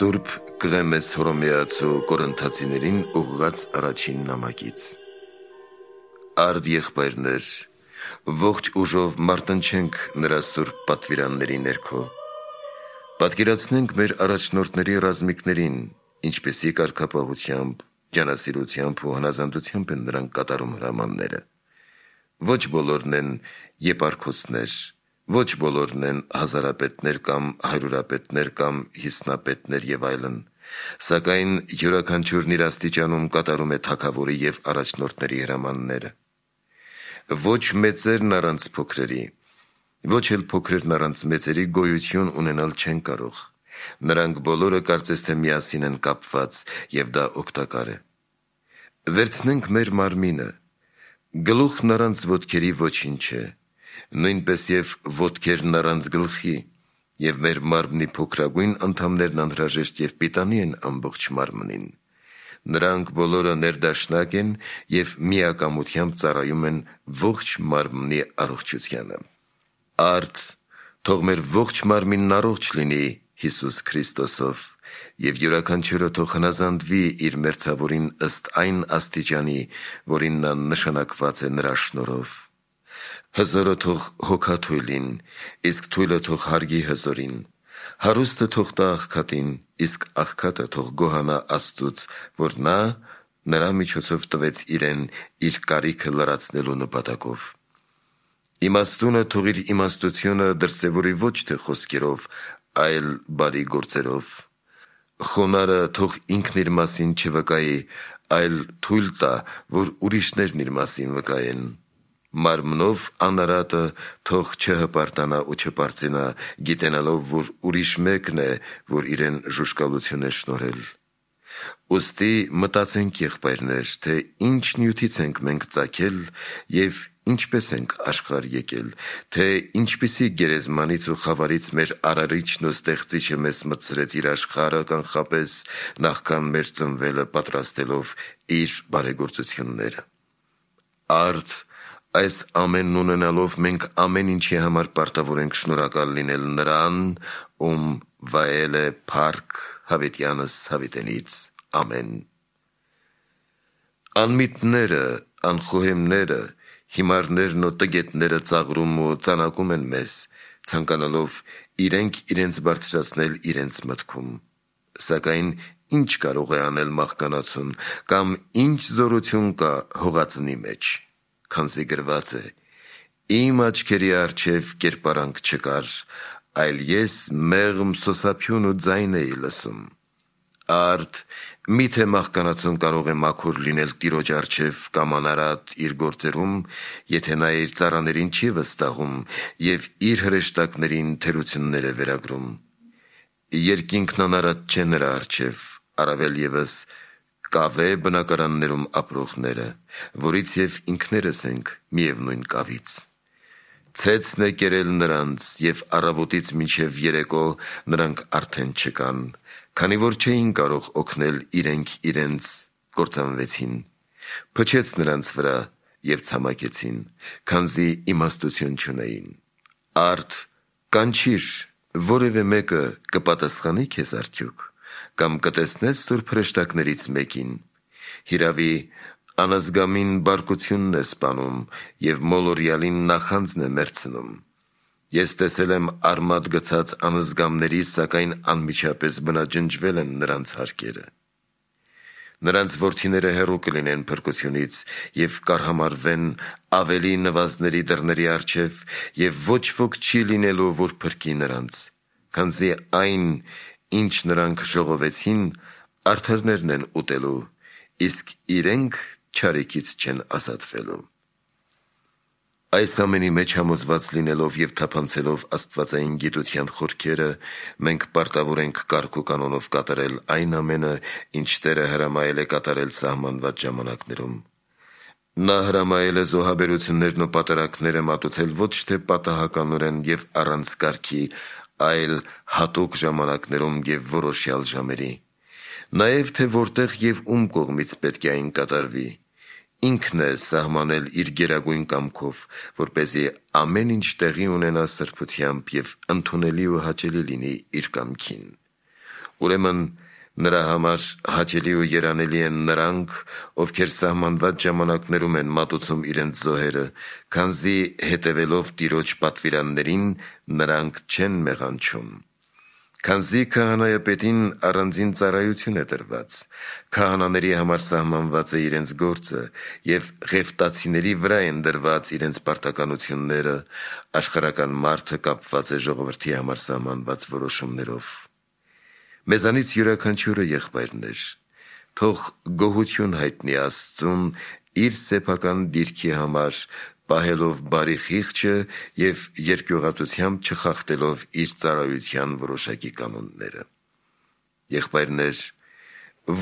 Սուրբ Կղեմես Հռոմեացու Կորինթացիներին ուղղված առաջին նամակից։ Արդ եղբայրներ, ողջ ուժով մարտնչենք նրա սուրբ պատվիրանների ներքո։ Պատկերացնենք մեր առաջնորդների ռազմիկներին, ինչպեսի կարգապահությամբ, ջանասիրությամբ ու հնազանդությամբ են նրանք կատարում հրամանները։ Ոչ բոլորն են եպարքոցներ, ոչ բոլորն են հազարապետներ կամ հարյուրապետներ կամ հիսնապետներ եւ այլն, սակայն յուրաքանչյուրն իր աստիճանում կատարում է թագավորի եւ առաջնորդների հրամանները։ Ոչ մեծերն առանց փոքրերի, ոչ էլ փոքրերն առանց մեծերի գոյություն ունենալ չեն կարող։ Նրանք բոլորը կարծես թե միասին են կապված եւ դա օգտակար է։ Վերցնենք մեր մարմինը։ Գլուխն առանց ոտքերի ոչինչ է, նույնպես եւ ոտքերն առանց գլխի, եւ մեր մարմնի փոքրագույն անդամներն անհրաժեշտ եւ պիտանի են ամբողջ մարմնին։ Նրանք բոլորը ներդաշնակ են եւ միակամությամբ ծառայում են ողջ մարմնի առողջությանը։ Արդ թող մեր ողջ մարմինն առողջ լինի Հիսուս Քրիստոսով, եւ յուրաքանչյուրը թող հնազանդվի իր մերձավորին ըստ այն աստիճանի, որին նա նշանակված է նրա շնորհով։ Հզորը թող հոգաթույլին, իսկ թույլը թող հարգի հզորին։ Հարուստը թող տա աղքատին, իսկ աղքատը թող գոհանա Աստծուց, որ նա նրա միջոցով տվեց իրեն իր կարիքը լրացնելու նպատակով։ Իմաստունը թող իր իմաստությունը դրսևորի ոչ թե խոսքերով, այլ բարի գործերով։ Խոնարհը թող ինքն իր մասին չվկայի, այլ թույլ տա, որ ուրիշներն իր մասին վկայեն։ Մարմնով անարատը թող չհպարտանա ու չպարծենա, գիտենալով, որ ուրիշ մեկն է, որ իրեն ժուժկալություն է շնորհել։ Ուստի մտածենք, եղբայրներ, թե ինչ նյութից ենք մենք ծագել եւ ինչպես ենք աշխարհ եկել, թե ինչպիսի գերեզմանից ու խավարից մեր արարիչն ու ստեղծիչը մեզ մտցրեց իր աշխարհը կանխապես նախքան մեր ծնվելը պատրաստելով իր բարեգործությունները։ Արդ այս ամենն ունենալով մենք ամեն ինչի համար պարտավոր ենք շնորհակալ լինել նրան, ում վայել է փառք հավիտյանս հավիտենից։ Ամեն։ Անմիտները, անխոհեմները, հիմարներն ու տգետները ծաղրում ու ծանակում են մեզ, ցանկանալով իրենք իրենց բարձրացնել իրենց մտքում։ Սակայն ինչ կարող է անել մահկանացուն, կամ ինչ զորություն կա հողածնի մեջ, քանզի գրված է. «Իմ աչքերի առջև կերպարանք չկար, այլ ես մեղմ սոսափյուն ու ձայն էի լսում»։ Արդ միթե մահկանացուն կարող է մաքուր լինել Տիրոջ առջև կամ անարատ իր գործերում, եթե նա իր ծառաներին չի վստահում եւ իր հրեշտակներին թերություններ է վերագրում։ Երկինքն անարատ չէ նրա առջև, առավել եւս կավե բնակարաններում ապրողները, որից եւ ինքներս ենք միևնույն կավից։ Ցեցն է կերել նրանց, եւ առավոտից մինչև երեկո նրանք արդեն չկան, քանի որ չէին կարող օգնել իրենք իրենց, կործանվեցին։ Փչեց նրանց վրա եւ ցամաքեցին, քանզի իմաստություն չունեին։ Արդ կանչիր, որևէ մեկը կպատասխանի քեզ արդյոք, կամ կտեսնես սուրբ հրեշտակներից մեկին։ Հիրավի անազգամին բարկությունն է սպանում եւ մոլորյալին նախանձն է մերցնում։ Ես տեսել եմ արմատ գցած անզգամների, սակայն անմիջապես բնաջնջվել են նրանց հարկերը։ Նրանց որդիները հեռու կլինեն փրկությունից եւ կարհամարվեն ավելի նվազների դռների առջև, եւ ոչ ոք չի լինելու, որ փրկի նրանց, քանզի այն, ինչ նրանք ժողովեցին, արդարներն են ուտելու, իսկ իրենք չարիքից չեն ազատվելու։ Այս ամենի մեջ համոզված լինելով եւ թափանցելով աստվածային գիտության խորքերը, մենք պարտավոր ենք կարգ ու կանոնով կատարել այն ամենը, ինչ Տերը հրամայել է կատարել սահմանված ժամանակներում։ Նա հրամայել է զոհաբերություններն ու պատերակները մատուցել ոչ թե պատահականորեն եւ առանց կարգի, այլ հատուկ ժամանակներում եւ որոշյալ ժամերի։ Նաեւ թե որտեղ եւ ում կողմից պետք է այն կատարվի։ Ինքն է սահմանել իր գերագույն կամքով, որպեսզի ամեն ինչ տեղի ունենա սրբությամբ եւ ընդունելի ու հաճելի լինի իր կամքին։ Ուրեմն նրա համար հաճելի ու երանելի են նրանք, ովքեր սահմանված ժամանակներում են մատուցում իրենց զոհերը, քանզի հետևելով Տիրոջ պատվիրաններին նրանք չեն մեղանչում։ Քանզի քահանայապետին առանձին ծառայություն է տրված, քահանաների համար սահմանված է իրենց գործը, և ղևտացիների վրա են դրված իրենց պարտականությունները, աշխարհական մարդը կապված է ժողովրդի համար սահմանված որոշումներով։ Մեզանից յուրաքանչյուրը, եղբայրներ, թող գոհություն հայտնի Աստծուն իր սեփական դիրքի համար, պահելով բարի խիղճը և երկյուղատությամբ չխախտելով իր ծառայության որոշակի կանոնները։ Եղբայրներ,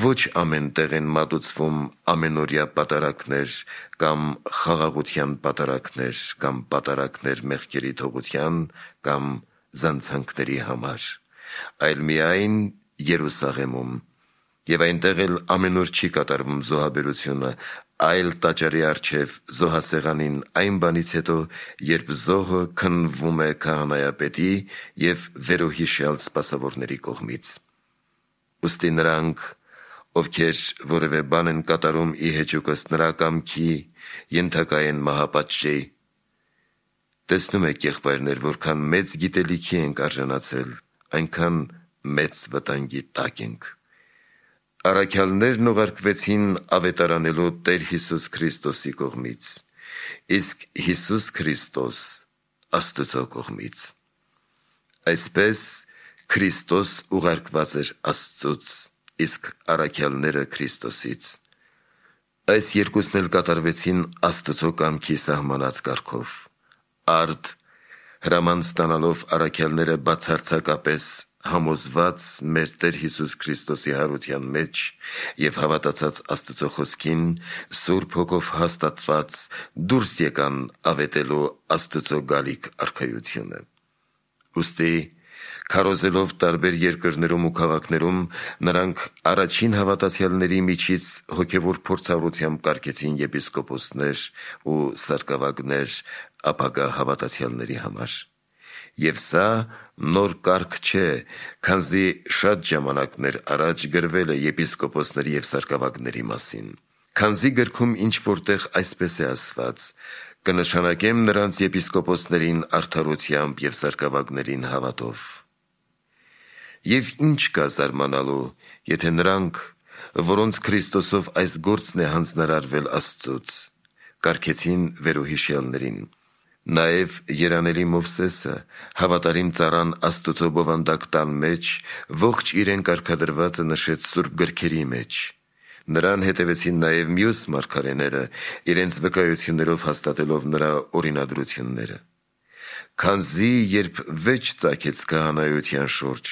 ոչ ամեն տեղ են մատուցվում ամենօրյա պատարագներ կամ խաղաղության պատարագներ կամ պատարագներ մեղքերի թողության կամ զանցանքների համար, այլ միայն Երուսաղեմում, և այնտեղ էլ ամենուր չի կատարվում զոհաբերությունը, այլ տաճարի առջև զոհասեղանին այն բանից հետո, երբ զոհը քննվում է քահանայապետի և վերոհիշյալ սպասավորների կողմից։ Ուստի նրանք, ովքեր որևէ բան են կատարում ի հեճուկս նրա կամքի, ենթակա են մահապատժի։ Տեսնում եք, եղբայրներ, որքան մեծ գիտելիքի ենք արժանացել, այնքան մեծ վտանգի տակ ենք։ Առաքյալներն ուղարկվեցին ավետարանելու Տեր Հիսուս Քրիստոսի կողմից, իսկ Հիսուս Քրիստոս Աստծո կողմից։ Այսպես Քրիստոս ուղարկված էր Աստծուց, իսկ առաքյալները Քրիստոսից։ Այս երկուսն էլ կատարվեցին Աստծո կամքի սահմանած կարգով։ Արդ հրաման ստանալով առաքյալները բացարձակապես համոզված մեր Տեր Հիսուս Քրիստոսի հարության մեջ և հավատացած Աստծո խոսքին, Սուրբ Հոգով հաստատված դուրս եկան ավետելու Աստծո գալիք արքայությունը։ Ուստի քարոզելով տարբեր երկրներում ու քաղաքներում, նրանք առաջին հավատացյալների միջից հոգևոր փորձառությամբ կարգեցին եպիսկոպոսներ ու սարկավագներ ապագա հավատացյալների համար։ Եվ սա նոր կարգ չէ, քանզի շատ ժամանակներ առաջ գրվել է եպիսկոպոսների և սարկավագների մասին։ Քանզի գրքում ինչ-որտեղ այսպես է ասված. «Կնշանակեմ նրանց եպիսկոպոսներին արդարությամբ և սարկավագներին հավատով»։ Եվ ինչ կա զարմանալու, եթե նրանք, որոնց Քրիստոսով այս գործն է հանձնարարվել Աստծուց, կարգեցին վերոհիշյալներին։ Նաև երանելի Մովսեսը, հավատարիմ ծառան Աստծո բովանդակ տան մեջ, ողջ իրեն կարգադրվածը նշեց սուրբ գրքերի մեջ։ Նրան հետևեցին նաև մյուս մարգարեները, իրենց վկայություններով հաստատելով նրա օրինադրությունները։ Քանզի երբ վեճ ծագեց քահանայության շուրջ,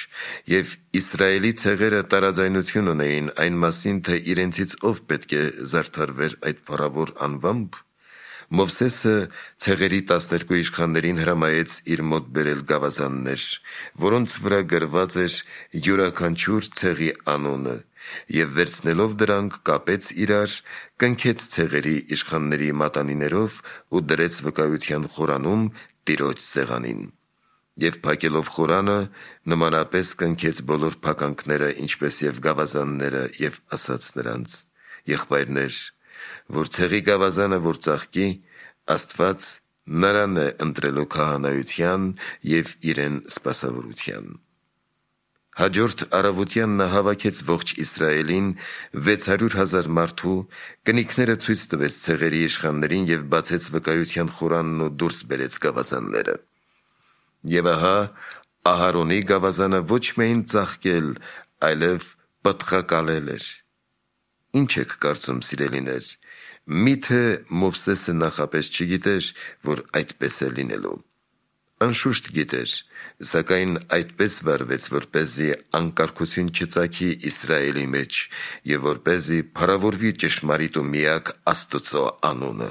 և Իսրայելի ցեղերը տարաձայնություն ունեին այն մասին, թե իրենցից ով պետք է զարդարվեր այդ փառավոր անվամբ, Մովսեսը ցեղերի 12 իշխաններին հրամայեց իր մոտ բերել գավազաններ, որոնց վրա գրված էր յուրաքանչյուր ցեղի անունը, և վերցնելով դրանք կապեց իրար, կնքեց ցեղերի իշխանների մատանիներով ու դրեց վկայության խորանում Տիրոջ սեղանին։ Եվ փակելով խորանը, նմանապես կնքեց բոլոր փականքները, ինչպես և գավազանները, և ասաց նրանց. «Եղբայրներ, որ ցեղի գավազանը որ ծաղկի, Աստված նրան է ընտրելու քահանայության և իրեն սպասավորության»։ Հաջորդ առավոտյան նա հավաքեց ողջ Իսրայելին 600,000 մարդու, կնիքները ցույց տվեց ցեղերի իշխաններին և բացեց վկայության խորանն ու դուրս բերեց գավազանները։ Եվ ահա Ահարոնի գավազանը ոչ միայն ծաղկել, այլև պտղակալել էր։ Ինչ եք կարծում, սիրելիներ, միթե Մովսեսը նախապես չգիտեր, որ այդպես է լինելու։ Անշուշտ գիտեր, սակայն այդպես վարվեց, որպեսզի անկարգություն չծագի Իսրայելի մեջ և որպեսզի փառավորվի ճշմարիտ ու միակ Աստծո անունը,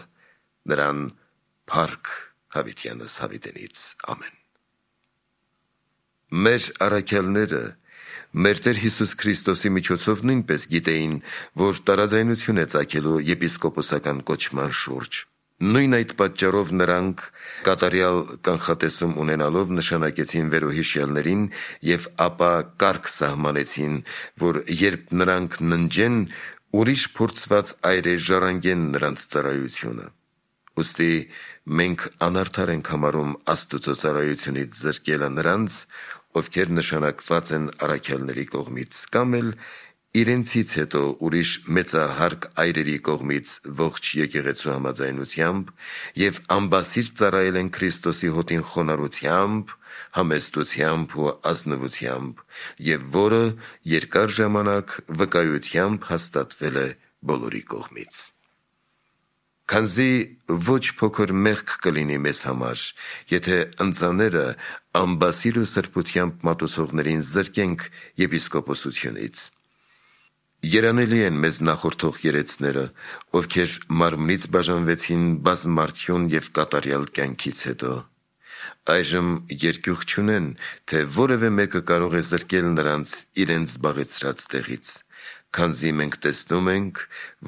նրան փառք հավիտյանս հավիտենից։ Ամեն։ Մեր առաքյալները մեր Տեր Հիսուս Քրիստոսի միջոցով նույնպես գիտեին, որ տարաձայնություն է ծագելու եպիսկոպոսական կոչման շուրջ, Նույն այդ պատճառով նրանք կատարյալ կանխատեսում ունենալով նշանակեցին վերոհիշյալներին և ապա կարգ սահմանեցին, որ երբ նրանք ննջեն, ուրիշ փորձված այրեր ժառանգեն նրանց ծառայությունը։ Ուստի մենք անարդար ենք համարում Աստծո ծառայությունից զրկելը նրանց, ովքեր նշանակված են առաքյալների կողմից, կամ էլ իրենցից հետո ուրիշ մեծահարկ այրերի կողմից ողջ եկեղեցու համաձայնությամբ և ամբասիր ծառայել են Քրիստոսի հոտին խոնարհությամբ, համեստությամբ ու ազնվությամբ, և որը երկար ժամանակ վկայությամբ հաստատվել է բոլորի կողմից։ Քանզի ոչ փոքր մեղք կլինի մեզ համար, եթե ընծաները ամբասիր ու սրբությամբ մատուցողներին զրկենք եպիսկոպոսությունից։ Երանելի են մեզ նախորդող երեցները, ովքեր մարմնից բաժանվեցին բազմարդյուն և կատարյալ կյանքից հետո։ Այժմ երկյուղ չունեն, թե որևէ մեկը կարող է զրկել նրանց իրենց զբաղեցրած տեղից, քանզի մենք տեսնում ենք,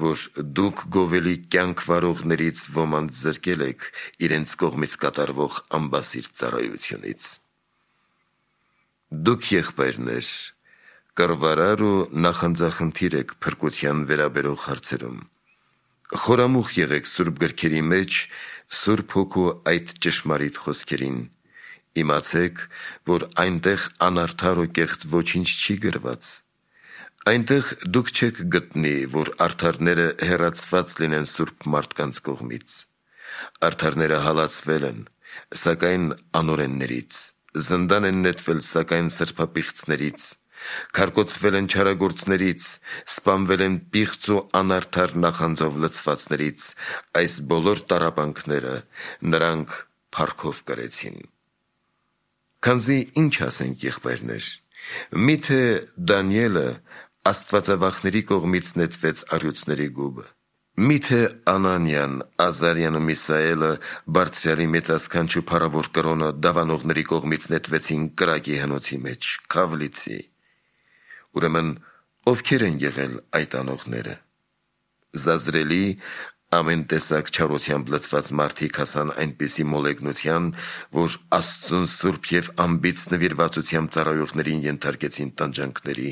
որ դուք գովելի կյանք վարողներից ոմանց զրկել եք իրենց կողմից կատարվող ամբասիր ծառայությունից։ Դուք, եղբայրներ, կռվարար ու նախանձախնդիր եք փրկության վերաբերող հարցերում։ Խորամուխ եղեք Սուրբ գրքերի մեջ Սուրբ Հոգու այդ ճշմարիտ խոսքերին։ Իմացեք, որ այնտեղ անարդար ու կեղծ ոչինչ չի գրված։ Այնտեղ դուք չեք գտնի, որ արդարները հեռացված լինեն սուրբ մարդկանց կողմից։ Արդարները հալածվել են, սակայն անօրեններից, զնդան են նետվել, սակայն սրբապիղծներից, քարկոծվել են չարագործներից, սպանվել են պիղծ ու անարդար նախանձով լցվածներից, այս բոլոր տառապանքները նրանք փառքով կրեցին։ Քանզի ինչ ասենք, եղբայրներ, միթե Դանիելը աստվածավախների կողմից նետվեց առյուծների գուբը, միթե Անանիան, Ազարյան ու Միսաելը բարձրյալի մեծասքանչ ու փառավոր կրոնը դավանողների կողմից նետվեցին կրակի հնոցի մեջ, քավլիցի։ Ուրեմն ովքեր են եղել այդ անողները։ Զազրելի ամեն տեսակ չարությամբ լցված մարդիկ հասան այնպիսի մոլեգնության, որ Աստծուն սուրբ և անբիծ նվիրվածությամբ ծառայողներին ենթարկեցին տանջանքների,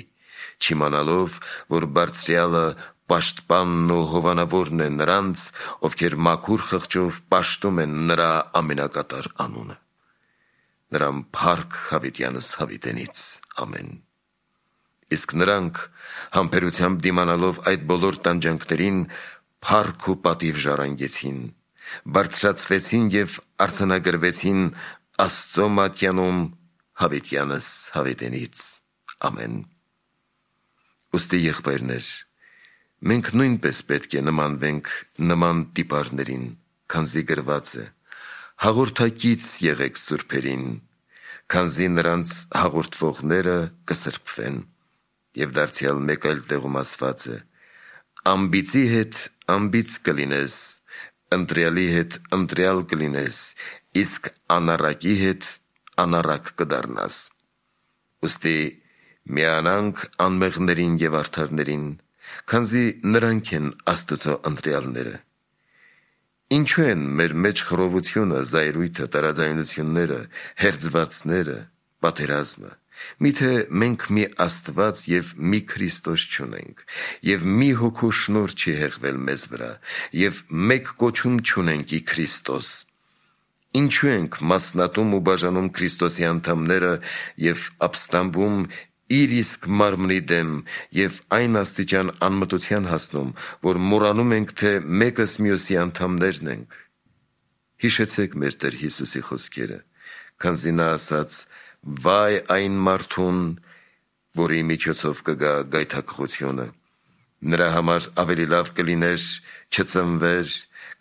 չիմանալով, որ Բարձրյալը պաշտպանն ու հովանավորն է նրանց, ովքեր մաքուր խղճով պաշտում են նրա ամենակատար անունը։ Նրան փառք հավիտյանս հավիտենից։ Ամեն։ Իսկ նրանք համբերությամբ դիմանալով այդ բոլոր տանջանքներին փառք ու պատիվ ժառանգեցին, բարձրացվեցին և արձանագրվեցին Աստծո մատյանում հավիտյանս հավիտենից։ Ամեն։ Ուստի, եղբայրներ, մենք նույնպես պետք է նմանվենք նման տիպարներին, քանզի գրված է. հաղորդակից եղեք սուրբերին, քանզի նրանց հաղորդվողները կսրբվեն։ Եվ դարձյալ մեկ այլ տեղում ասված է. անբիծի հետ անբիծ կլինես, ընտրյալի հետ ընտրյալ կլինես, իսկ անառակի հետ անառակ կդառնաս։ Ուստի միանանք անմեղներին և արդարներին, քանզի նրանք են Աստծո ընտրյալները։ Ինչու են մեր մեջ խռովությունը, զայրույթը, տարաձայնությունները, հերձվածները, պատերազմը։ Միթե մենք մի Աստված և մի Քրիստոս չունենք, և մի հոգու շնորհ չի հեղվել մեզ վրա, և մեկ կոչում չունենք ի Քրիստոս։ Ինչու ենք մասնատում ու բաժանում Քրիստոսի անդամները և ապստամբում իր իսկ մարմնի դեմ և այն աստիճան անմտության հասնում, որ մոռանում ենք, թե մեկս մյուսի անդամներն ենք։ Հիշեցեք մեր Տեր Հիսուսի խոսքերը, քանզի նա ասաց. «Վայ այն մարդուն, որի միջոցով կգա գայթակղությունը, նրա համար ավելի լավ կլիներ չծնվեր,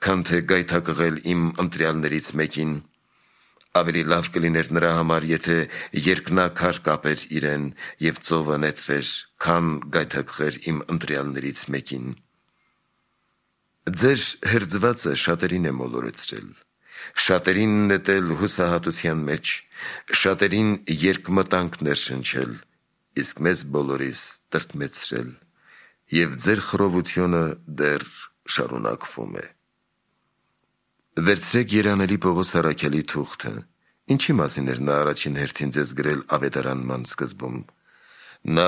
քան թե գայթակղել իմ ընտրյալներից մեկին։ Ավելի լավ կլիներ նրա համար, եթե երկնաքար կապեր իրեն և ծովը նետվեր, քան գայթակղեր իմ ընտրյալներից մեկին»։ Ձեր հերձվածը շատերին է մոլորեցրել, շատերին նետել հուսահատության մեջ, շատերին երկմտանք ներշնչել, իսկ մեզ բոլորիս տրտմեցրել, և ձեր խռովությունը դեռ շարունակվում է։ Վերցրեք երանելի Պողոս առաքյալի թուղթը, ինչի մասին էր նա առաջին հերթին ձեզ գրել ավետարանման սկզբում։ Նա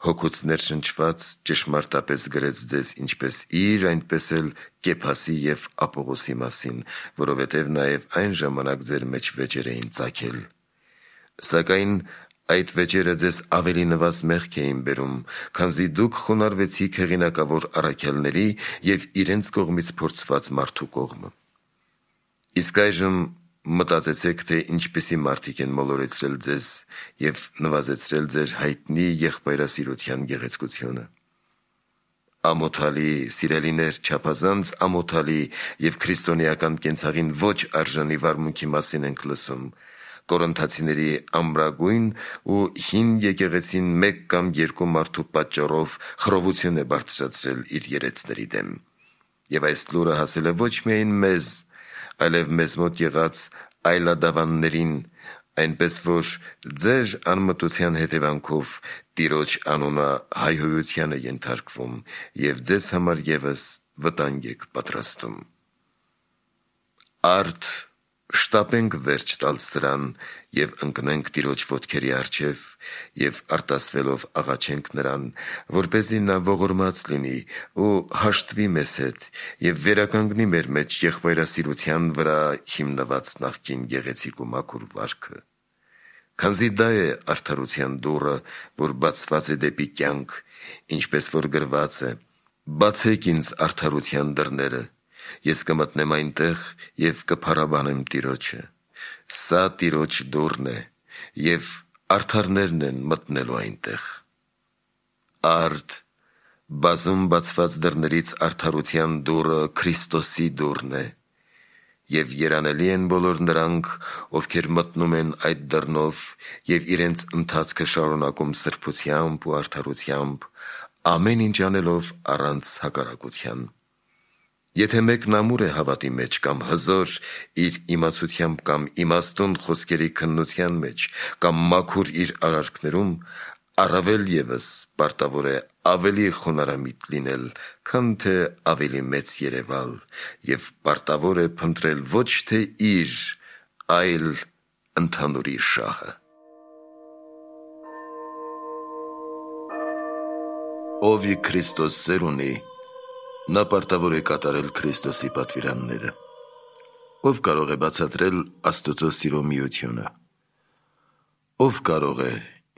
հոգուց ներշնչված ճշմարտապես գրեց ձեզ ինչպես իր, այնպես էլ Կեփասի և Ապողոսի մասին, որովհետև նաև այն ժամանակ ձեր մեջ վեճեր էին ծագել։ Սակայն այդ վեճերը ձեզ ավելի նվազ մեղք էին բերում, քանզի դուք խոնարհվեցիք հեղինակավոր առաքյալների և իրենց կողմից փորձված մարդու կողմը։ Իսկ այժմ մտածեցեք, թե ինչպիսի մարդիկ են մոլորեցրել ձեզ և նվազեցրել ձեր հայտնի եղբայրասիրության գեղեցկությունը։ Ամոթալի, սիրելիներ, չափազանց ամոթալի և քրիստոնեական կենցաղին ոչ արժանի վարմունքի մասին ենք լսում։ Կորինթացիների ամրագույն ու հին եկեղեցին մեկ կամ երկու մարդու պատճառով խռովություն է բարձրացրել իր երեցների դեմ։ Եվ այս լուրը հասել է ոչ միայն մեզ, այլև մեզ մոտ եղած այլադավաններին, այնպես որ ձեր անմտության հետևանքով Տիրոջ անունը հայհոյության է ենթարկվում և ձեզ համար ևս վտանգ եք պատրաստում։ Արդ շտապենք վերջ տալ սրան և ընկնենք Տիրոջ ոտքերի առջև և արտասվելով աղաչենք նրան, որպեսզի նա ողորմած լինի ու հաշտվի մեզ հետ և վերականգնի մեր մեջ եղբայրասիրության վրա հիմնված նախկին գեղեցիկ ու մաքուր վարքը։ Քանզի դա է արդարության դուռը, որ բացված է դեպի կյանք, ինչպես որ գրված է. «Բացեք ինձ արդարության դռները, ես կմտնեմ այնտեղ և կփառաբանեմ Տիրոջը»։ Սա Տիրոջ դուռն է, և արդարներն են մտնելու այնտեղ։ Արդ բազում բացված դռներից արդարության դուռը Քրիստոսի դուռն է, և երանելի են բոլոր նրանք, ովքեր մտնում են այդ դռնով և իրենց ընթացքը շարունակում սրբությամբ ու արդարությամբ, ամեն ինչ անելով առանց հակառակության։ Եթե մեկն ամուր է հավատի մեջ կամ հզոր իր իմացությամբ կամ իմաստուն խոսքերի քննության մեջ կամ մաքուր իր արարքներում, առավել ևս պարտավոր է ավելի խոնարհամիտ լինել, քան թե ավելի մեծ երևալ, և պարտավոր է փնտրել ոչ թե իր, այլ ընդհանուրի շահը։ Ով ի Քրիստոս սեր ունի, նա պարտավոր է կատարել Քրիստոսի պատվիրանները։ Ով կարող է բացատրել Աստծո սիրո միությունը։ Ով կարող է,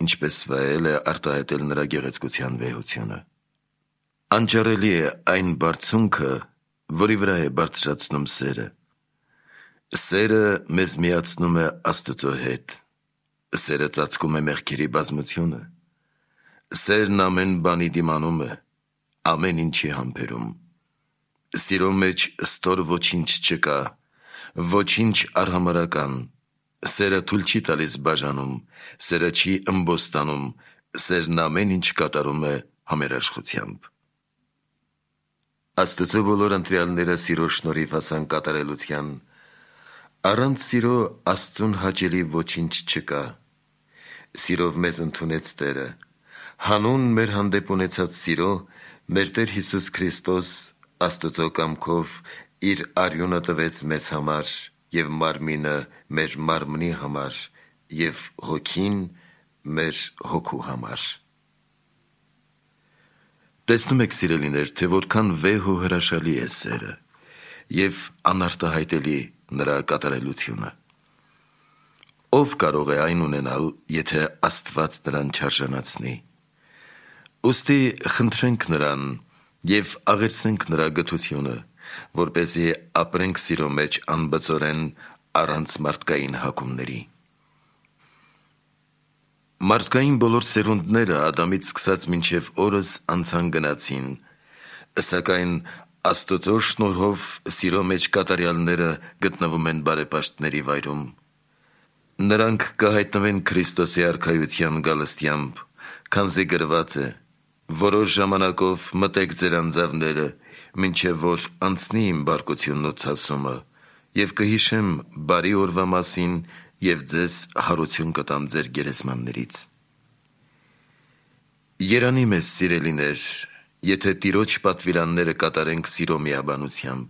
ինչպես վայել է, արտահայտել նրա գեղեցկության վեհությունը։ Անճարելի է այն բարձունքը, որի վրա է բարձրացնում սերը։ Սերը մեզ միացնում է Աստծո հետ։ Սերը ծածկում է մեղքերի բազմությունը։ Սերն ամեն բանի դիմանում է, ամեն ինչի համբերում։ Սիրո մեջ ստոր ոչինչ չկա, ոչինչ արհամարհական։ Սերը թույլ չի տալիս բաժանում, սերը չի ըմբոստանում, սերն ամեն ինչ կատարում է համերաշխությամբ։ Աստծո բոլոր ընտրյալները սիրո շնորհիվ հասան կատարելության։ Առանց սիրո Աստծուն հաճելի ոչինչ չկա։ Սիրով մեզ ընդունեց Տերը։ Հանուն մեր հանդեպ ունեցած սիրո մեր Տեր Հիսուս Քրիստոս Աստծո կամքով իր արյունը տվեց մեզ համար և մարմինը մեր մարմնի համար և հոգին մեր հոգու համար։ Տեսնում եք, սիրելիներ, թե որքան վեհ ու հրաշալի է սերը և անարտահայտելի նրա կատարելությունը։ Ով կարող է այն ունենալ, եթե Աստված նրան չարժանացնի։ Ուստի խնդրենք նրան և աղերսենք նրա գթությունը, որպեսզի ապրենք սիրո մեջ անբծորեն առանց մարդկային հակումների։ Մարդկային բոլոր սերունդները Ադամից սկսած մինչև օրս անցան գնացին, սակայն Աստծո շնորհով սիրո մեջ կատարյալները գտնվում են բարեպաշտների վայրում։ Նրանք կհայտնվեն Քրիստոսի արքայության գալստյամբ, քանզի գրված է. «Որոշ ժամանակով մտեք ձեր անձավները, մինչև որ անցնի իմ բարկությունն ու ցասումը, և կհիշեմ բարի օրվա մասին և ձեզ հարություն կտամ ձեր գերեզմաններից»։ Երանի մեզ, սիրելիներ, եթե Տիրոջ պատվիրանները կատարենք սիրո միաբանությամբ,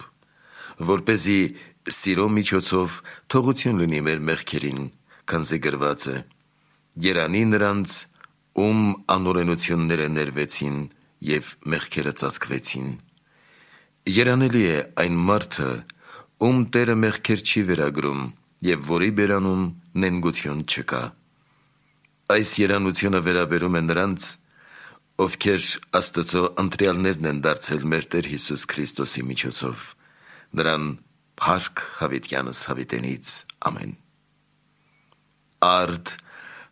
որպեսզի սիրո միջոցով թողություն լինի մեր մեղքերին, քանզի գրված է. «Երանի նրանց, ում անօրենությունները ներվեցին և մեղքերը ծածկվեցին»։ Երանելի է այն մարդը, ում Տերը մեղքեր չի վերագրում և որի բերանում նենգություն չկա։ Այս երանությունը վերաբերում է նրանց, ովքեր Աստծո ընտրյալներն են դարձել մեր Տեր Հիսուս Քրիստոսի միջոցով, նրան փառք հավիտյանս հավիտենից։ Ամեն։ Արդ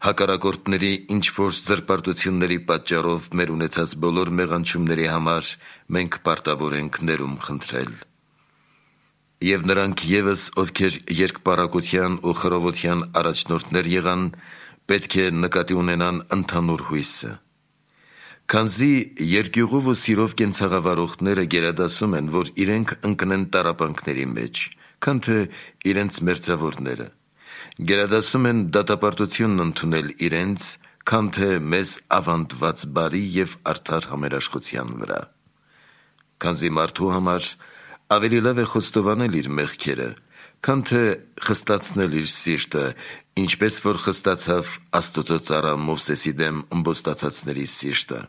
հակառակորդների ինչ-որ զրպարտությունների պատճառով մեր ունեցած բոլոր մեղանչումների համար մենք պարտավոր ենք ներում խնդրել։ Եվ նրանք ևս, ովքեր երկպառակության ու խռովության առաջնորդներ եղան, պետք է նկատի ունենան ընդհանուր հույսը։ Քանզի երկյուղով ու սիրով կենցաղավարողները գերադասում են, որ իրենք ընկնեն տառապանքների մեջ, քան թե իրենց մերձավորները, գերադասում են դատապարտությունն ընդունել իրենց, քան թե մեզ ավանդված բարի և արդար համերաշխության վրա։ Քանզի մարդու համար ավելի լավ է խոստովանել իր մեղքերը, քան թե խստացնել իր սիրտը, ինչպես որ խստացավ Աստծո ծառա Մովսեսի դեմ ըմբոստացածների սիրտը։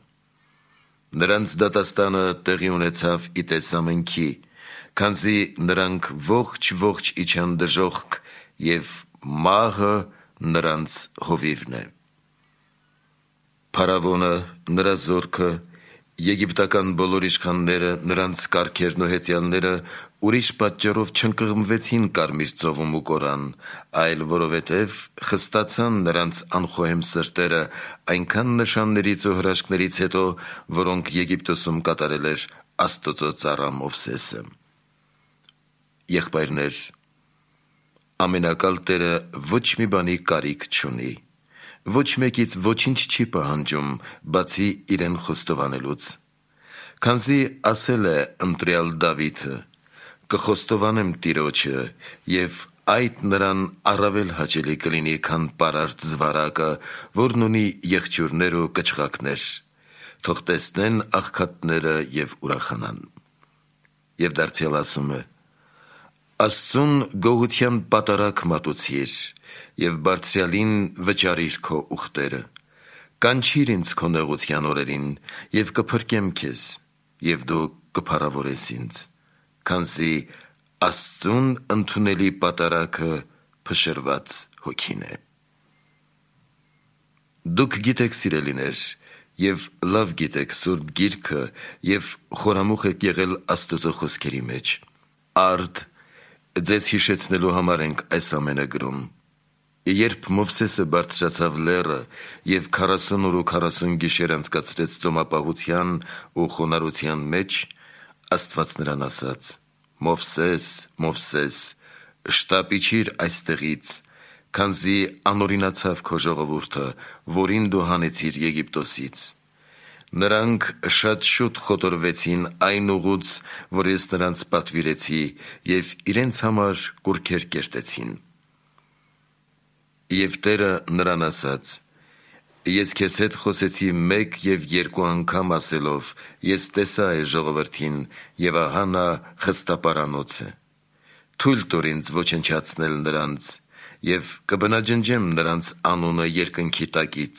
Նրանց դատաստանը տեղի ունեցավ ի տես ամենքի, քանզի նրանք ողջ իջան դժոխք և մահը նրանց հովիվն է։ Փարավոնը, նրա զորքը, եգիպտական բոլոր իշխանները, նրանց կարգերն ու հեծյալները ուրիշ պատճառով չընկղմվեցին Կարմիր ծովում ու կորան, այլ որովհետև խստացան նրանց անխոհեմ սրտերը այնքան նշաններից ու հրաշքներից հետո, որոնք Եգիպտոսում կատարել էր Աստծո ծառա Մովսեսը։ Եղբայրներ, ամենակալ Տերը ոչ մի բանի կարիք չունի, ոչ մեկից ոչինչ չի պահանջում, բացի իրեն խոստովանելուց։ Քանզի ասել է ընտրյալ Դավիթը. «Կխոստովանեմ Տիրոջը, և այդ նրան առավել հաճելի կլինի, քան պարարտ զվարակը, որն ունի եղջյուրներ ու կչղակներ. թող տեսնեն աղքատները և ուրախանան»։ Եվ դարձյալ ասում է. «Աստծուն գողության պատարագ մատուցիր և բարձրյալին վճարիր քո ուխտերը, կանչիր ինձ քո նեղության օրերին և կփրկեմ քեզ, և դու կփառավորես ինձ, քանզի Աստծուն ընդունելի պատարագը փշրված հոգին է»։ Դուք գիտեք, սիրելիներ, և լավ գիտեք Սուրբ Գիրքը և խորամուխ եք եղել Աստծո խոսքերի մեջ։ Արդ ձեզ հիշեցնելու համար ենք այս ամենը գրում։ Երբ Մովսեսը բարձրացավ լեռը և 40 օր ու 40 գիշեր անցկացրեց ծոմապահության ու խոնարհության մեջ, Աստված նրան ասաց. «Մովսես, Մովսես, շտապ իջիր այստեղից, քանզի անօրինացավ քո ժողովուրդը, որին դու հանեցիր Եգիպտոսից»։ Նրանք շատ շուտ խոտորվեցին այն ուղուց, որ ես նրանց պատվիրեցի, և իրենց համար կուռքեր կերտեցին։ Եվ Տերը նրան ասաց. «Ես քեզ հետ խոսեցի մեկ և երկու անգամ ասելով. ես տեսա այս ժողովրդին, և ահա նա խստապարանոց է։ Թույլ տուր ինձ ոչնչացնել նրանց, և կբնաջնջեմ նրանց անունը երկնքի տակից,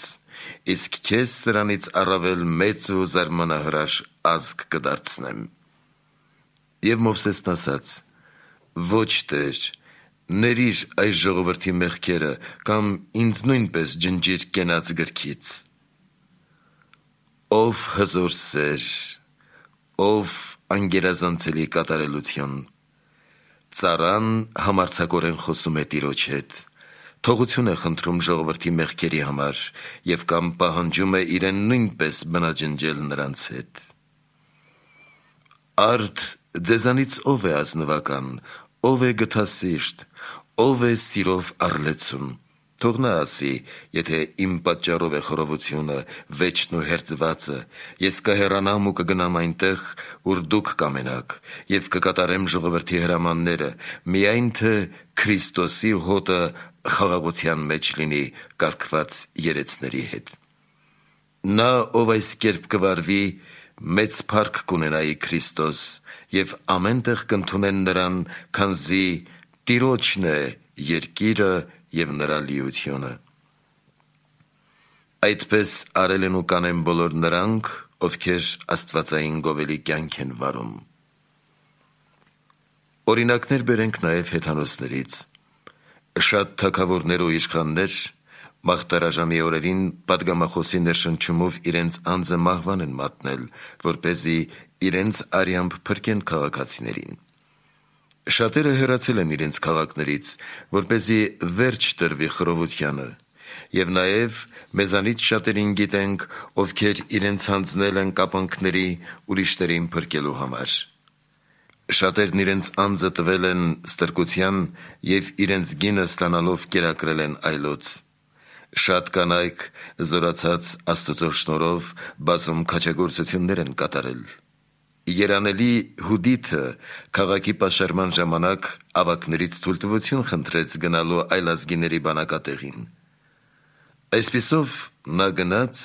իսկ քեզ սրանից առավել մեծ ու զարմանահրաշ ազգ կդարձնեմ»։ Եվ Մովսեսն ասաց. «Ոչ, Տեր, ներիր այս ժողովրդի մեղքերը, կամ ինձ նույնպես ջնջիր կենաց գրքից»։ Ով հզոր սեր, ով անգերազանցելի կատարելություն։ Ծառան համարձակորեն խոսում է Տիրոջ հետ, թողություն է խնդրում ժողովրդի մեղքերի համար և կամ պահանջում է իրեն նույնպես բնաջնջել նրանց հետ։ Արդ ձեզանից ով է ազնվական, ով է գթասիրտ, ով է սիրով առլեցուն, թող նա ասի, եթե իմ պատճառով է խռովությունը, վեճն ու հերձվածը, ես կհեռանամ ու կգնամ այնտեղ, ուր դուք կամենաք, և կկատարեմ ժողովրդի հրամանները, միայն թե Քրիստոսի հոտը խաղաղության մեջ լինի կարգված երեցների հետ։ Նա, ով այս կերպ կվարվի, մեծ փառք կունենայի Քրիստոս, և ամեն տեղ կընդունեն նրան, քանզի Տիրոջն է երկիրը և նրա լիությունը։ Այդպես արել են ու կանեն բոլոր նրանք, ովքեր աստվածային գովելի կյանք են վարում։ Օրինակներ բերենք նաև հեթանոսներից։ Շատ թագավորներ ու իշխաններ մաղթարաժամի օրերին պատգամախոսի ներշնչումով իրենց անձը մահվան են մատնել, որպեսզի իրենց արյամբ փրկեն քաղաքացիներին։ Շատերը հեռացել են իրենց քաղաքներից, որպեսզի վերջ տրվի խռովությանը, և նաև մեզանից շատերին գիտենք, ովքեր իրենց հանձնել են կապանքների ուրիշներին փրկելու համար։ Շատերն իրենց անձը տվել են ստրկության և իրենց գինը ստանալով կերակրել են այլոց։ Շատ կանայք զորացած Աստծո շնորհով բազում քաջագործություններ են կատարել։ Երանելի Հուդիթը քաղաքի պաշարման ժամանակ ավագներից թույլտվություն խնդրեց գնալու այլազգիների բանակատեղին։ Այսպիսով նա գնաց,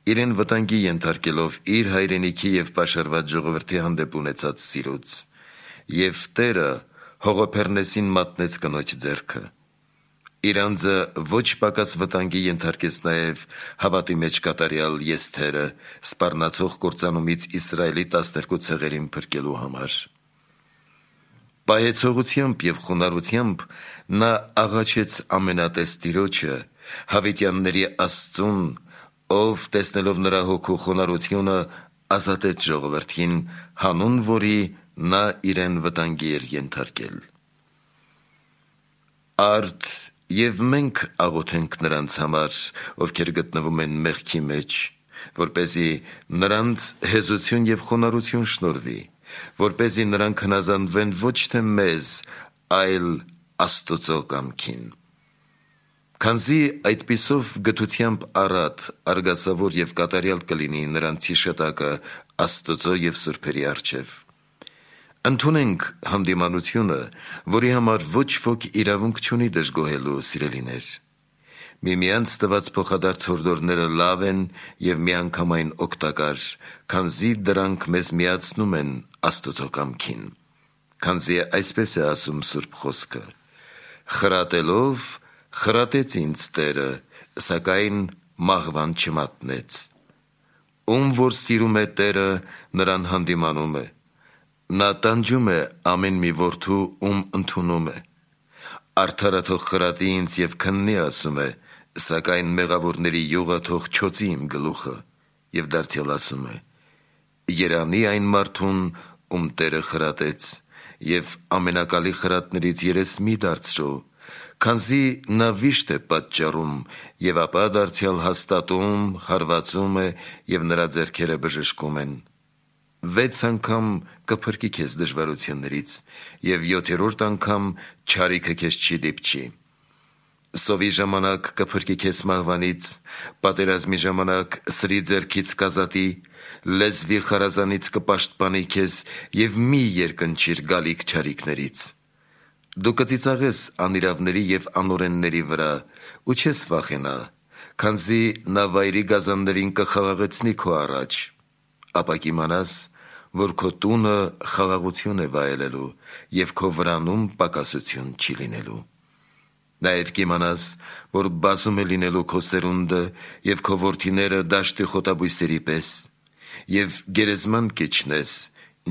իրեն վտանգի ենթարկելով իր հայրենիքի և պաշարված ժողովրդի հանդեպ ունեցած սիրուց, և Տերը Հողոփեռնեսին մատնեց կնոջ ձեռքը։ Իր անձը ոչ պակաս վտանգի ենթարկեց նաև հավատի մեջ կատարյալ Եսթերը սպառնացող կործանումից Իսրայելի 12 ցեղերին փրկելու համար։ Պահեցողությամբ և խոնարհությամբ նա աղաչեց ամենատես Տիրոջը, հավիտյանների Աստծուն, ով տեսնելով նրա հոգու խոնարհությունը ազատեց ժողովրդին, հանուն որի նա իրեն վտանգի էր ենթարկել։ Արդ և մենք աղոթենք նրանց համար, ովքեր գտնվում են մեղքի մեջ, որպեսզի նրանց հեզություն և խոնարհություն շնորհվի, որպեսզի նրանք հնազանդվեն ոչ թե մեզ, այլ Աստծո կամքին։ Քանզի այդպիսով գթությամբ առատ, արգասավոր և կատարյալ կլինի նրանց հիշատակը Աստծո և սուրբերի առջև։ Ընդունենք հանդիմանությունը, որի համար ոչ ոք իրավունք չունի դժգոհելու, սիրելիներ։ Միմյանց տված փոխադարձ հորդորները լավ են և միանգամայն օգտակար, քանզի դրանք մեզ միացնում են Աստծո կամքին։ Քանզի այսպես է ասում Սուրբ Խոսքը. «Խրատելով խրատեց ինձ Տերը, սակայն մահվան չմատնեց»։ Ում որ սիրում է Տերը, նրան հանդիմանում է։ Նա տանջում է ամեն մի որդու, ում ընդունում է։ Արդարը թող խրատի ինձ և քննի, ասում է, սակայն մեղավորների յուղը թող չոցի իմ գլուխը։ Եվ դարձյալ ասում է. երանի այն մարդուն, ում Տերը խրատեց, և ամենակալի խրատներից երես մի դարձրու, քանզի նա վիշտ է պատճառում, և ապա դարձյալ հաստատում, հարվածում է, և նրա ձեռքերը բժշկում են։ 6 անգամ կփրկի քեզ դժվարություններից, և 7-րդ անգամ չարիքը քեզ չի դիպչի։ Սովի ժամանակ կփրկի քեզ մահվանից, պատերազմի ժամանակ սրի ձեռքից կազատի, լեզվի խարազանից կպաշտպանի քեզ, և մի երկնչիր գալիք չարիքներից։ Դու կծիծաղես անիրավների և անօրենների վրա, ու չես վախենա, քանզի նա վայրի գազաններին կխաղաղեցնի քո առաջ։ Ապա կիմանաս, որ քո տունը խաղաղություն է վայելելու, և քո վրանում պակասություն չի լինելու։ Նաև կիմանաս, որ բազում է լինելու քո սերունդը, և քո որդիները դաշտի խոտաբույսերի պես, և գերեզման կիջնես,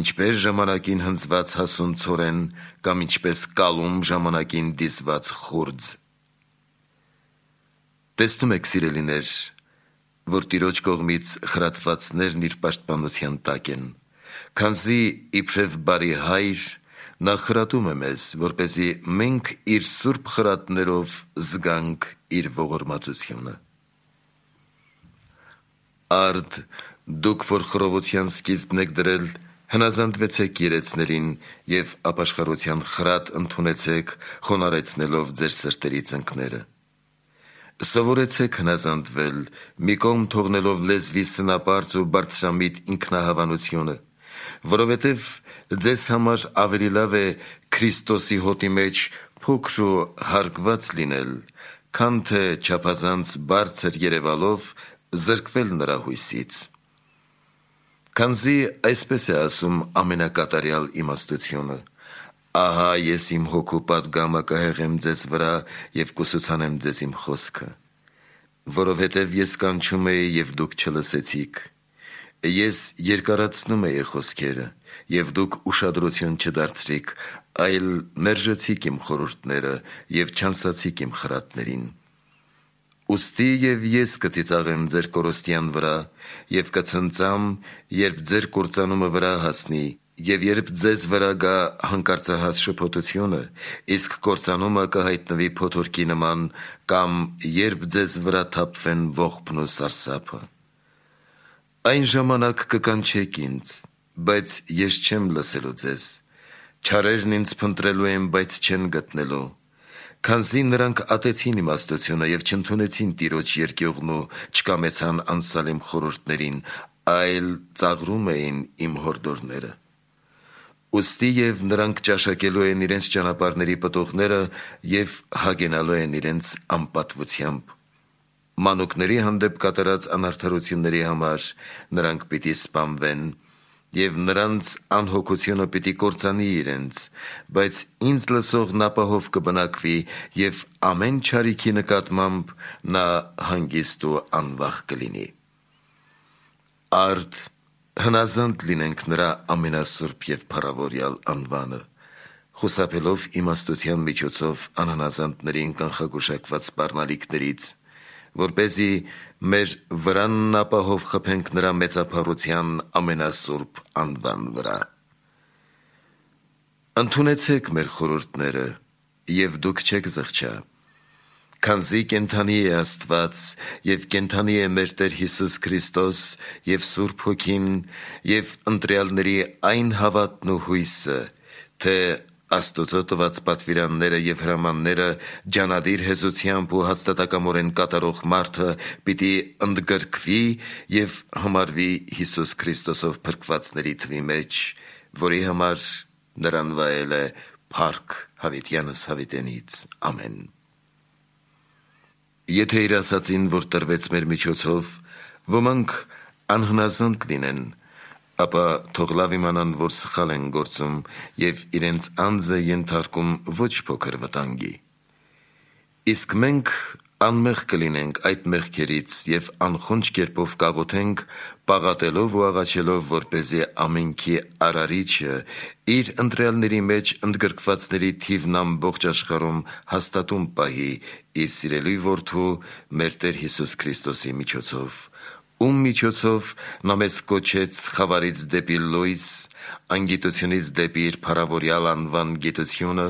ինչպես ժամանակին հնձված հասուն ցորեն, կամ ինչպես կալում ժամանակին դիզված խուրձ։ Տեսնում եք, սիրելիներ, որ Տիրոջ կողմից խրատվածներն իր պաշտպանության տակ են, քանզի իբրև բարի հայր նա խրատում է մեզ, որպեսզի մենք իր սուրբ խրատներով զգանք իր ողորմածությունը։ Արդ, դուք, որ խռովության սկիզբն եք դրել, հնազանդվեցեք երեցներին և ապաշխարության խրատ ընդունեցեք, խոնարհեցնելով ձեր սրտերի ծնկները։ Սովորեցեք հնազանդվել, մի կողմ թողնելով լեզվի սնապարծ ու բարձրամիտ ինքնահավանությունը, որովհետև ձեզ համար ավելի լավ է Քրիստոսի հոտի մեջ փոքր ու հարգված լինել, քան թե չափազանց բարձր երևալով զրկվել նրա հույսից։ Քանզի այսպես է ասում ամենակատարյալ իմաստությունը. Ահա ես իմ հոգու պատգամը կհեղեմ ձեզ վրա և կուսուցանեմ ձեզ իմ խոսքը, որովհետև ես կանչում էի և դուք չլսեցիք, ես երկարացնում էի խոսքերը և դուք ուշադրություն չդարձրիք, այլ մերժեցիք իմ խորհուրդները և չանսացիք իմ խրատներին։ Ուստի և ես կծիծաղեմ ձեր կորստյան վրա և կցնծամ, երբ ձեր կործանումը վրա հասնի և երբ ձեզ վրա գա հանկարծահաս շփոթությունը, իսկ կործանումը կհայտնվի փոթորկի նման, կամ երբ ձեզ վրա թափվեն ողբն ու սարսափը։ Այն ժամանակ կկանչեք ինձ, բայց ես չեմ լսելու ձեզ, չարերն ինձ փնտրելու են, բայց չեն գտնելու, քանզի նրանք ատեցին իմաստությունը և չընդունեցին Տիրոջ երկյուղն ու չկամեցան անցալ իմ խորհուրդներին, այլ ծաղրում էին իմ հորդորները։ Ուստի և նրանք ճաշակելու են իրենց ճանապարհների պտուղները և հագենալու են իրենց անպատվությամբ։ Մանուկների հանդեպ կատարած անարդարությունների համար նրանք պիտի սպանվեն, և նրանց անհոգությունը պիտի կործանի իրենց, բայց ինձ լսողն ապահով կբնակվի և ամեն չարիքի նկատմամբ նա հանգիստ ու անվախ կլինի։ Արդ հնազանդ լինենք նրա ամենասուրբ և փառավորյալ անվանը, խուսափելով իմաստության միջոցով անհնազանդներին կանխագուշակված սպառնալիքներից, որպեսզի մեր վրանն ապահով խփենք նրա մեծափառության ամենասուրբ անվան վրա։ Ընդունեցեք մեր խորհուրդները, և դուք չեք զղջա, քանզի կենդանի է Աստված և կենդանի է մեր Տեր Հիսուս Քրիստոս և Սուրբ Հոգին և ընտրյալների այն հավատն ու հույսը, թե Աստուծո տված պատվիրանները և հրամանները ջանադիր հեզությամբ ու հաստատակամորեն կատարող մարդը պիտի ընդգրկվի և համարվի Հիսուս Քրիստոսով փրկվածների թվի մեջ, որի համար նրան վայել է փառք հավիտյանս հավիտենից։ Ամեն։ Եթե իր ասածին, որ տրվեց մեր միջոցով, ոմանք անհնազանդ լինեն, ապա թող լավ իմանան, որ սխալ են գործում և իրենց անձը ենթարկում ոչ փոքր վտանգի։ Իսկ մենք անմեղ կլինենք այդ մեղքերից և անխոնջ կերպով կաղոթենք, պաղատելով ու աղաչելով, որպեսզի ամենքի Արարիչը իր ընտրյալների մեջ ընդգրկվածների թիվն ամբողջ աշխարհում հաստատուն պահի իր սիրելի Որդու, մեր Տեր Հիսուս Քրիստոսի միջոցով, ում միջոցով նա մեզ կոչեց խավարից դեպի լույս, անգիտությունից դեպի իր փառավորյալ անվան գիտությունը,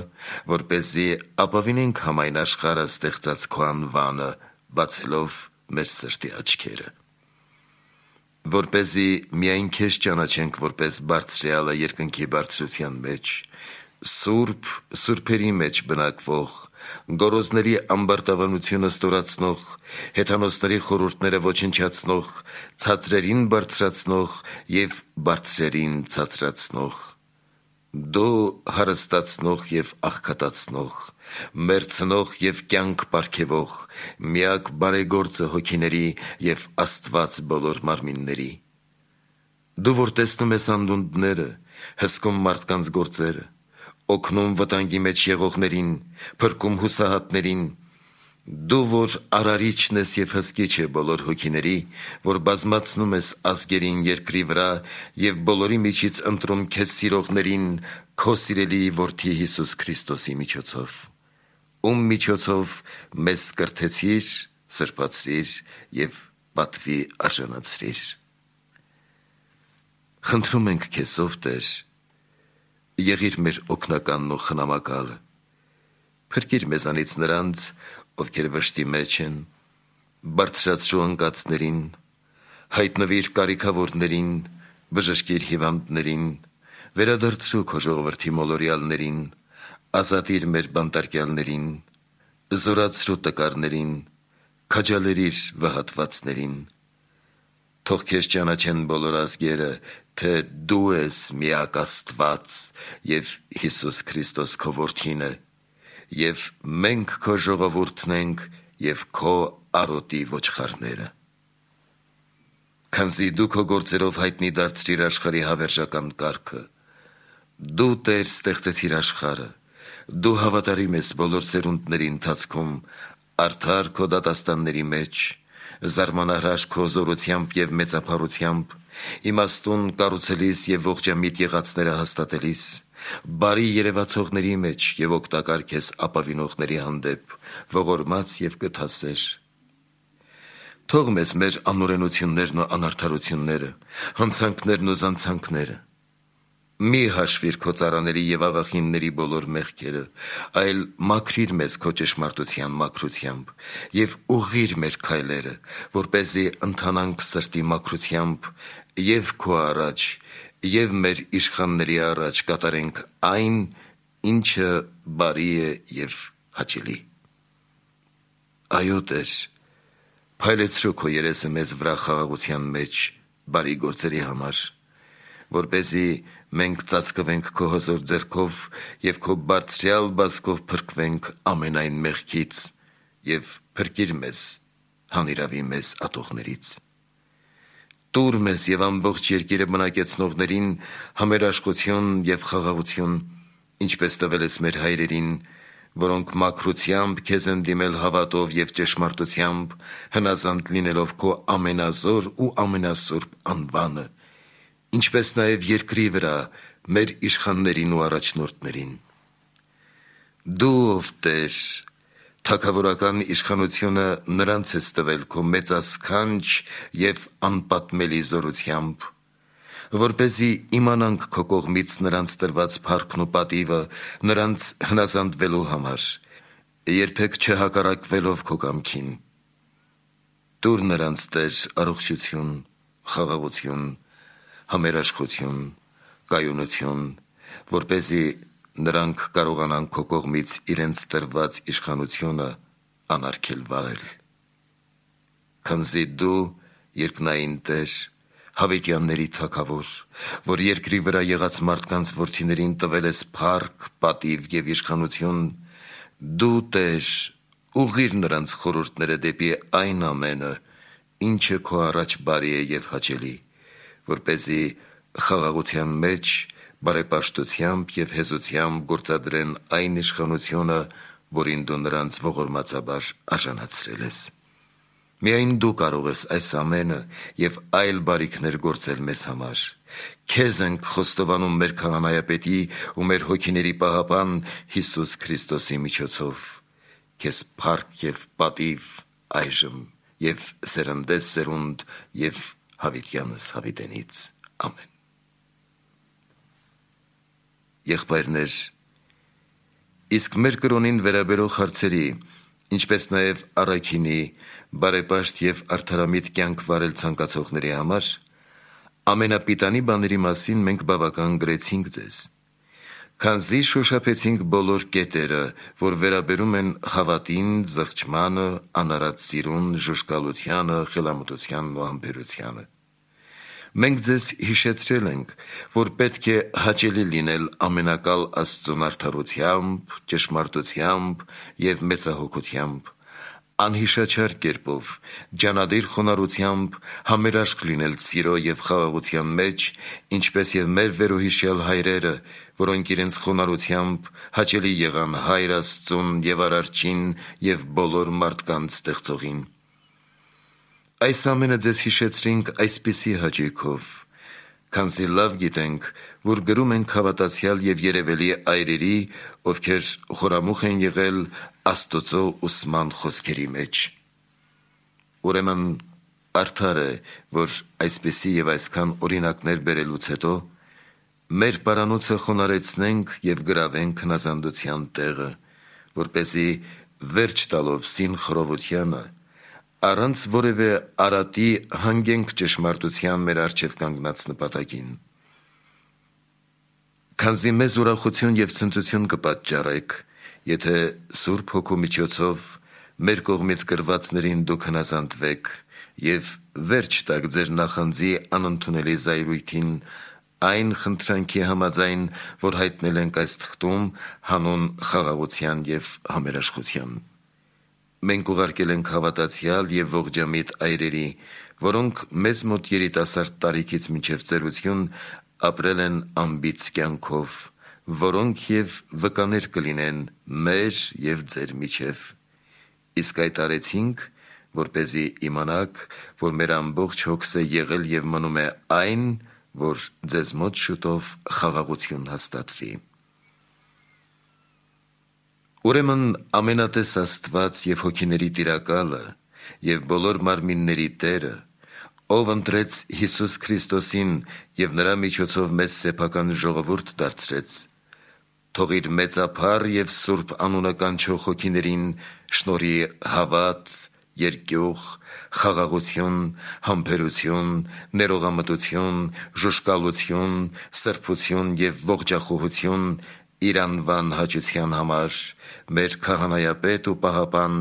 որպեսզի ապավինենք համայն աշխարհը ստեղծած քո անվանը, բացելով մեր սրտի աչքերը։ Որպեսզի միայն քեզ ճանաչենք որպես Բարձրյալը երկնքի բարձրության մեջ, սուրբ, սուրբերի մեջ բնակվող, գոռոզների ամբարտավանությունը ստորացնող, հեթանոսների խորհուրդները ոչնչացնող, ցածրերին բարձրացնող և բարձրերին ցածրացնող, դու հարստացնող և աղքատացնող, մերձնող և կյանք պարգևող, միակ բարեգործը հոգիների և Աստված բոլոր մարմինների։ Դու որ տեսնում ես անդունդները, հսկում մարդկանց գործերը, օգնում վտանգի մեջ եղողներին, փրկում հուսահատներին, դու որ Արարիչն ես և հսկիչը բոլոր հոգիների, որ բազմացնում ես ազգերին երկրի վրա և բոլորի միջից ընտրում քեզ սիրողներին քո սիրելի Որդի Հիսուս Քրիստոսի միջոցով, ում միջոցով մեզ կրթեցիր, սրբացրիր և պատվի արժանացրիր։ Խնդրում ենք քեզ, ով Տեր, եղիր մեր օգնականն ու խնամակալը, փրկիր մեզանից նրանց, ովքեր վշտի մեջ են, բարձրացրու անկացներին, հայտնվիր կարիքավորներին, բժշկիր հիվանդներին, վերադարձրու քո ժողովրդի մոլորյալներին, ազատիր մեր բանտարկյալներին, զորացրու տկարներին, քաջալերիր վհատվածներին։ Թող քեզ ճանաչեն բոլոր ազգերը, թե դու ես միակ Աստված և Հիսուս Քրիստոս քո Որդին է, և մենք քո ժողովուրդն ենք և քո արոտի ոչխարները։ Քանզի դու քո գործերով հայտնի դարձրիր աշխարհի հավերժական կարգը, Դու Տեր ստեղծեցիր աշխարհը, դու հավատարիմ ես բոլոր սերունդների ընթացքում, արդար քո դատաստանների մեջ, զարմանահրաշ քո զորությամբ եւ մեծափառությամբ, իմաստուն կառուցելիս եւ ողջամիտ եղածները հաստատելիս, բարի երևացողների մեջ եւ օգտակար քեզ ապավինողների հանդեպ, ողորմած եւ կթասեր։ Թող մեզ մեր անօրենություններն ու անարդարությունները, հանցանքներն ու զանցանքները մի հաշվիր քո ծառաների եւ աղախինների բոլոր մեղքերը, այլ մաքրիր մեզ քո ճշմարտության մաքրությամբ եւ ուղղիր մեր քայլերը, որպեսզի ընթանանք սրտի մաքրությամբ եւ քո առաջ եւ մեր իշխանների առաջ կատարենք այն, ինչը բարի է եւ հաճելի։ Այո, Տեր, փայլեցրու քո երեսը մեզ վրա խաղաղության մեջ բարի գործերի համար, որպեսզի մենք ծածկվենք քո հզոր ձեռքով եւ քո բարձրյալ բազկով փրկվենք ամենայն մեղքից եւ փրկիր մեզ հանիրավի մեզ ատողներից։ Տուր մեզ եւ ամբողջ երկիրը բնակեցնողներին համերաշխություն եւ խաղաղություն, ինչպես տվել ես մեր հայրերին, որոնք մաքրությամբ քեզ են դիմել հավատով եւ ճշմարտությամբ, հնազանդ լինելով քո ամենազոր ու ամենասուրբ անվանը, ինչպես նաև երկրի վրա մեր իշխաններին ու առաջնորդներին։ Դու, ով Տեր, թագավորական իշխանությունը նրանց ես տվել քո մեծասքանչ եւ անպատմելի զորությամբ, որպեսզի իմանանք քո կողմից նրանց տրված փառքն ու պատիվը նրանց հնազանդվելու համար, երբեք չհակառակվելով քո կամքին։ Տուր նրանց, Տեր, առողջություն, խաղաղություն, համերաշխություն, կայունություն, որպեսզի նրանք կարողանան քո կողմից իրենց տրված իշխանությունը անարգել վարել։ Քանզի դու երկնային Տեր, հավիտյանների թագավոր, որ երկրի վրա եղած մարդկանց որդիներին տվել ես փառք, պատիվ եւ իշխանություն, դու Տեր, ուղղիր նրանց խորհուրդները դեպի այն ամենը, ինչը քո առաջ բարի է եւ հաճելի, որպեսզի խաղաղության մեջ բարեպաշտությամբ եւ հեզությամբ գործադրեն այն իշխանությունը, որին դու նրանց ողորմածաբար արժանացրել ես։ Միայն դու կարող ես այս ամենը եւ այլ բարիքներ գործել մեզ համար։ Քեզ ենք խոստովանում մեր քահանայապետի ու մեր հոգիների պահապան Հիսուս Քրիստոսի միջոցով։ Քեզ փառք եւ պատիվ այժմ եւ սերնդես սերունդ եւ հավիտյանս հավիտենից։ Ամեն։ Եղբայրներ, իսկ մեր կրոնին վերաբերող հարցերի, ինչպես նաև առաքինի, բարեպաշտ եւ արդարամիտ կյանք վարել ցանկացողների համար, ամենապիտանի բաների մասին մենք բավական գրեցինք ձեզ, քանզի շոշափեցինք բոլոր կետերը, որ վերաբերում են հավատին, զղջմանը, անարատ սիրուն, ժուժկալությանը, խելամտությանն ու համբերությանը։ Մենք ձեզ հիշեցրել ենք, որ պետք է հաճելի լինել ամենակալ Աստծուն արդարությամբ, ճշմարտությամբ եւ մեծահոգությամբ, անհիշաչար կերպով, ջանադիր խոնարհությամբ, համերաշխ լինել սիրո եւ խաղաղության մեջ, ինչպես եւ մեր վերոհիշյալ հայրերը, որոնք իրենց խոնարհությամբ հաճելի եղան Հայր Աստծուն եւ Արարչին եւ բոլոր մարդկանց ստեղծողին։ Այս ամենը ձեզ հիշեցրինք այսպիսի հաճույքով, քանզի լավ գիտենք, որ գրում ենք հավատացյալ եւ երևելի այրերի, ովքեր խորամուխ են եղել Աստծո ուսման խոսքերի մեջ։ Ուրեմն արդար է, որ այսպիսի եւ այսքան օրինակներ բերելուց հետո մեր պարանոցը խոնարեցնենք եւ գրավենք հնազանդության տեղը, որպեսզի վերջ տալով սին խռովությանը առանց որևէ արատի հանգենք ճշմարտության մեր առջև կանգնած նպատակին։ Քանզի մեզ ուրախություն եւ ցնծություն կպատճառեք, եթե Սուրբ Հոգու միջոցով մեր կողմից գրվածներին դուք հնազանդվեք եւ վերջ տաք ձեր նախանձի անընդունելի զայրույթին այն խնդրանքի համաձայն, որ հայտնել ենք այս թղթում հանուն խաղաղության եւ համերաշխության։ Մենք ուղարկել ենք հավատացյալ եւ ողջամիտ այրերի, որոնք մեզ մոտ երիտասարդ տարիքից մինչև ծերություն ապրել են անբիծ կյանքով, որոնք և վկաներ կլինեն մեր և ձեր միջև։ Իսկ այդ արեցինք, որպեսզի իմանաք, որ մեր ամբողջ հոգսը եղել և մնում է այն, որ ձեզ մոտ շուտով խաղաղություն հաստատվի։ Ուրեմն ամենատես Աստված և հոգիների Տիրակալը և բոլոր մարմինների Տերը, ով ընտրեց Հիսուս Քրիստոսին և նրա միջոցով մեզ սեփական ժողովուրդ դարձրեց, թող իր մեծափառ և սուրբ անունը կանչող հոգիներին շնորհի հավատ, երկյուղ, խաղաղություն, համբերություն, ներողամտություն, ժուժկալություն, սրբություն և ողջախոհություն իր անվան հաճության համար մեր քահանայապետ ու պահապան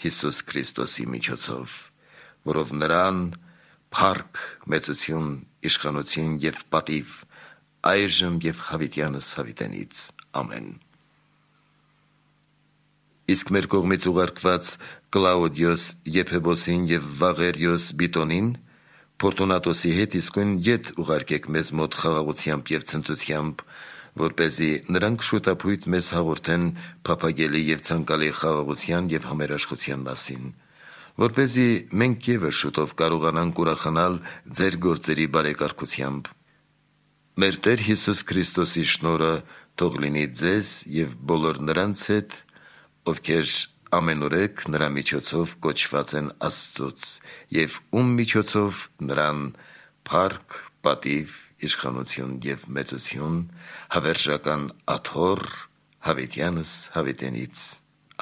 Հիսուս Քրիստոսի միջոցով, որով նրան փառք, մեծություն, իշխանություն և պատիվ այժմ և հավիտյանս հավիտենից։ Ամեն։ Իսկ մեր կողմից ուղարկված Կլաուդիոս Եփեբոսին և Վաղերիոս Բիտոնին Փորտունատոսի հետ իսկույն ետ ուղարկեք մեզ մոտ խաղաղությամբ և ցնծությամբ, որպեսզի նրանք շուտապույտ մեզ հաղորդեն փափագելի և ցանկալի խաղաղության և համերաշխության մասին, որպեսզի մենք ևս շուտով կարողանանք ուրախանալ ձեր գործերի բարեկարգությամբ։ Մեր Տեր Հիսուս Քրիստոսի շնորհը թող լինի ձեզ և բոլոր նրանց հետ, ովքեր ամենուրեք նրա միջոցով կոչված են Աստծուց և ում միջոցով նրան փառք, պատիվ, իշխանություն և մեծություն հավերժական աթոռ հավիտյանս հավիտենից։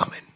Ամեն։